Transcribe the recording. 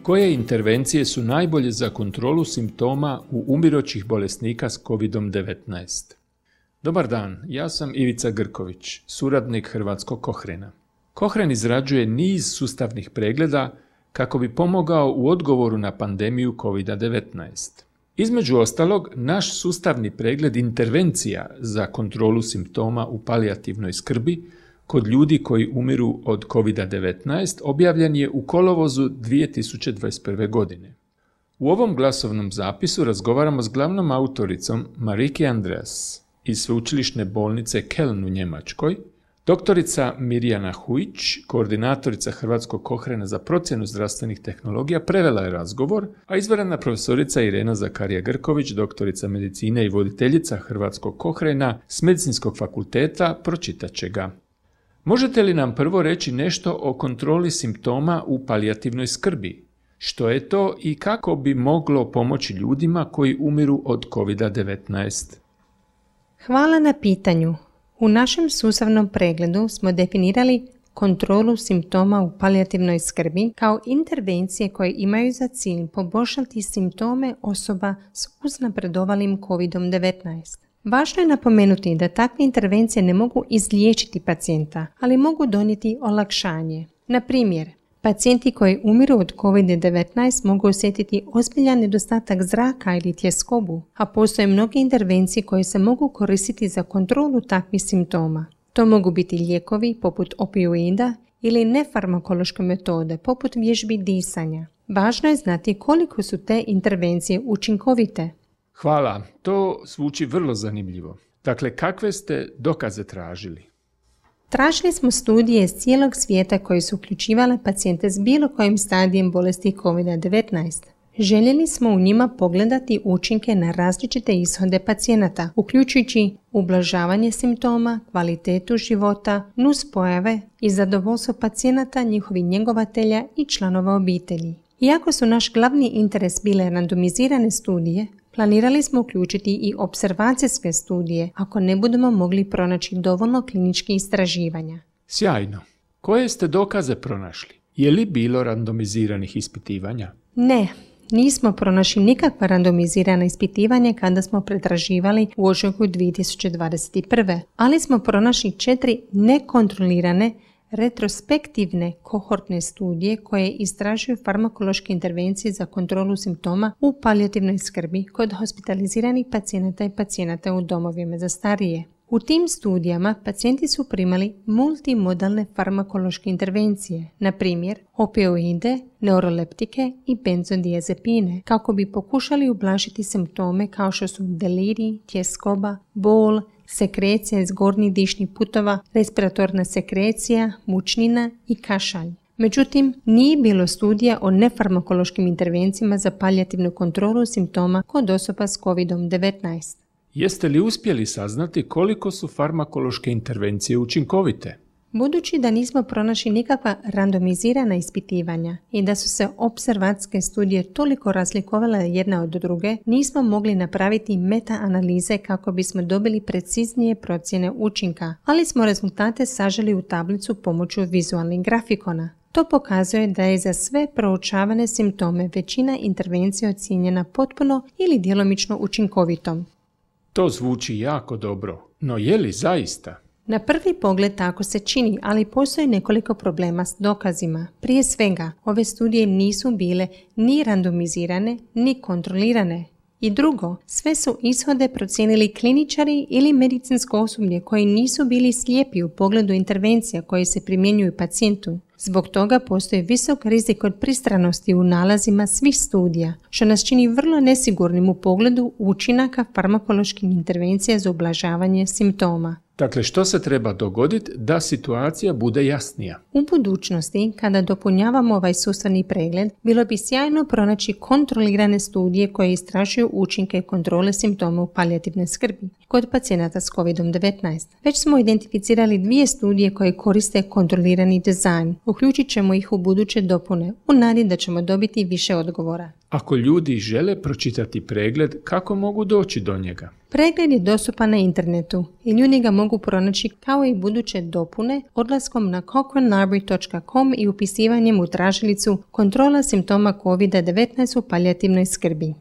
Koje intervencije su najbolje za kontrolu simptoma u umirućih bolesnika s COVID-19? Dobar dan, ja sam Ivica Grković, suradnik Hrvatskog Kohrena. Kohren izrađuje niz sustavnih pregleda kako bi pomogao u odgovoru na pandemiju COVID-19. Između ostalog, naš sustavni pregled intervencija za kontrolu simptoma u palijativnoj skrbi kod ljudi koji umiru od COVID-19 objavljen je u kolovozu 2021. godine. U ovom glasovnom zapisu razgovaramo s glavnom autoricom Marike Andreas iz Sveučilišne bolnice Köln u Njemačkoj, doktorica Mirjana Hujić, koordinatorica Hrvatskog Kohrena za procjenu zdravstvenih tehnologija, prevela je razgovor, a izvanredna profesorica Irena Zakarija Grković, doktorica medicine i voditeljica Hrvatskog Kohrena s Medicinskog fakulteta, pročitat će ga. Možete li nam prvo reći nešto o kontroli simptoma u palijativnoj skrbi? Što je to i kako bi moglo pomoći ljudima koji umiru od COVID-19? Hvala na pitanju. U našem sustavnom pregledu smo definirali kontrolu simptoma u palijativnoj skrbi kao intervencije koje imaju za cilj poboljšati simptome osoba s uznapredovalim COVID-19. Važno je napomenuti da takve intervencije ne mogu izliječiti pacijenta, ali mogu donijeti olakšanje. Na primjer, pacijenti koji umiru od COVID-19 mogu osjetiti ozbiljan nedostatak zraka ili tjeskobu, a postoje mnoge intervencije koje se mogu koristiti za kontrolu takvih simptoma. To mogu biti lijekovi poput opioida ili nefarmakološke metode poput vježbi disanja. Važno je znati koliko su te intervencije učinkovite. Hvala, to zvuči vrlo zanimljivo. Dakle, kakve ste dokaze tražili? Tražili smo studije iz cijelog svijeta koje su uključivale pacijente s bilo kojim stadijem bolesti COVID-19. Željeli smo u njima pogledati učinke na različite ishode pacijenata, uključujući ublažavanje simptoma, kvalitetu života, nuspojave i zadovoljstvo pacijenata, njihovih njegovatelja i članova obitelji. Iako su naš glavni interes bile randomizirane studije, planirali smo uključiti i observacijske studije ako ne budemo mogli pronaći dovoljno kliničkih istraživanja. Sjajno. Koje ste dokaze pronašli? Je li bilo randomiziranih ispitivanja? Ne, nismo pronašli nikakva randomizirana ispitivanja kada smo pretraživali u ožujku 2021. Ali smo pronašli 4 nekontrolirane retrospektivne kohortne studije koje istražuju farmakološke intervencije za kontrolu simptoma u palijativnoj skrbi kod hospitaliziranih pacijenata i pacijenata u domovima za starije. U tim studijama pacijenti su primali multimodalne farmakološke intervencije, na primjer opioide, neuroleptike i benzodiazepine, kako bi pokušali ublažiti simptome kao što su delirij, tjeskoba, bol, sekrecija iz gornjih dišnih putova, respiratorna sekrecija, mučnina i kašalj. Međutim, nije bilo studija o nefarmakološkim intervencijama za palijativnu kontrolu simptoma kod osoba s COVID-19. Jeste li uspjeli saznati koliko su farmakološke intervencije učinkovite? Budući da nismo pronašli nikakva randomizirana ispitivanja i da su se opservacijske studije toliko razlikovale jedna od druge, nismo mogli napraviti meta-analize kako bismo dobili preciznije procjene učinka, ali smo rezultate saželi u tablicu pomoću vizualnih grafikona. To pokazuje da je za sve proučavane simptome većina intervencija ocijenjena potpuno ili djelomično učinkovitom. To zvuči jako dobro, no je li zaista? Na prvi pogled tako se čini, ali postoji nekoliko problema s dokazima. Prije svega, ove studije nisu bile ni randomizirane, ni kontrolirane. I drugo, sve su ishode procijenili kliničari ili medicinsko osoblje koji nisu bili slijepi u pogledu intervencija koje se primjenjuju pacijentu. Zbog toga postoji visok rizik od pristranosti u nalazima svih studija, što nas čini vrlo nesigurnim u pogledu učinaka farmakoloških intervencija za ublažavanje simptoma. Dakle, što se treba dogoditi da situacija bude jasnija? U budućnosti, kada dopunjavamo ovaj sustavni pregled, bilo bi sjajno pronaći kontrolirane studije koje istražuju učinke kontrole simptoma u palijativnoj skrbi kod pacijenata s COVID-19. Već smo identificirali 2 studije koje koriste kontrolirani dizajn. Uključit ćemo ih u buduće dopune, u nadi da ćemo dobiti više odgovora. Ako ljudi žele pročitati pregled, kako mogu doći do njega? Pregled je dostupan na internetu i ljudi ga mogu pronaći kao i buduće dopune odlaskom na cochranelibrary.com i upisivanjem u tražilicu kontrola simptoma COVID-19 u palijativnoj skrbi.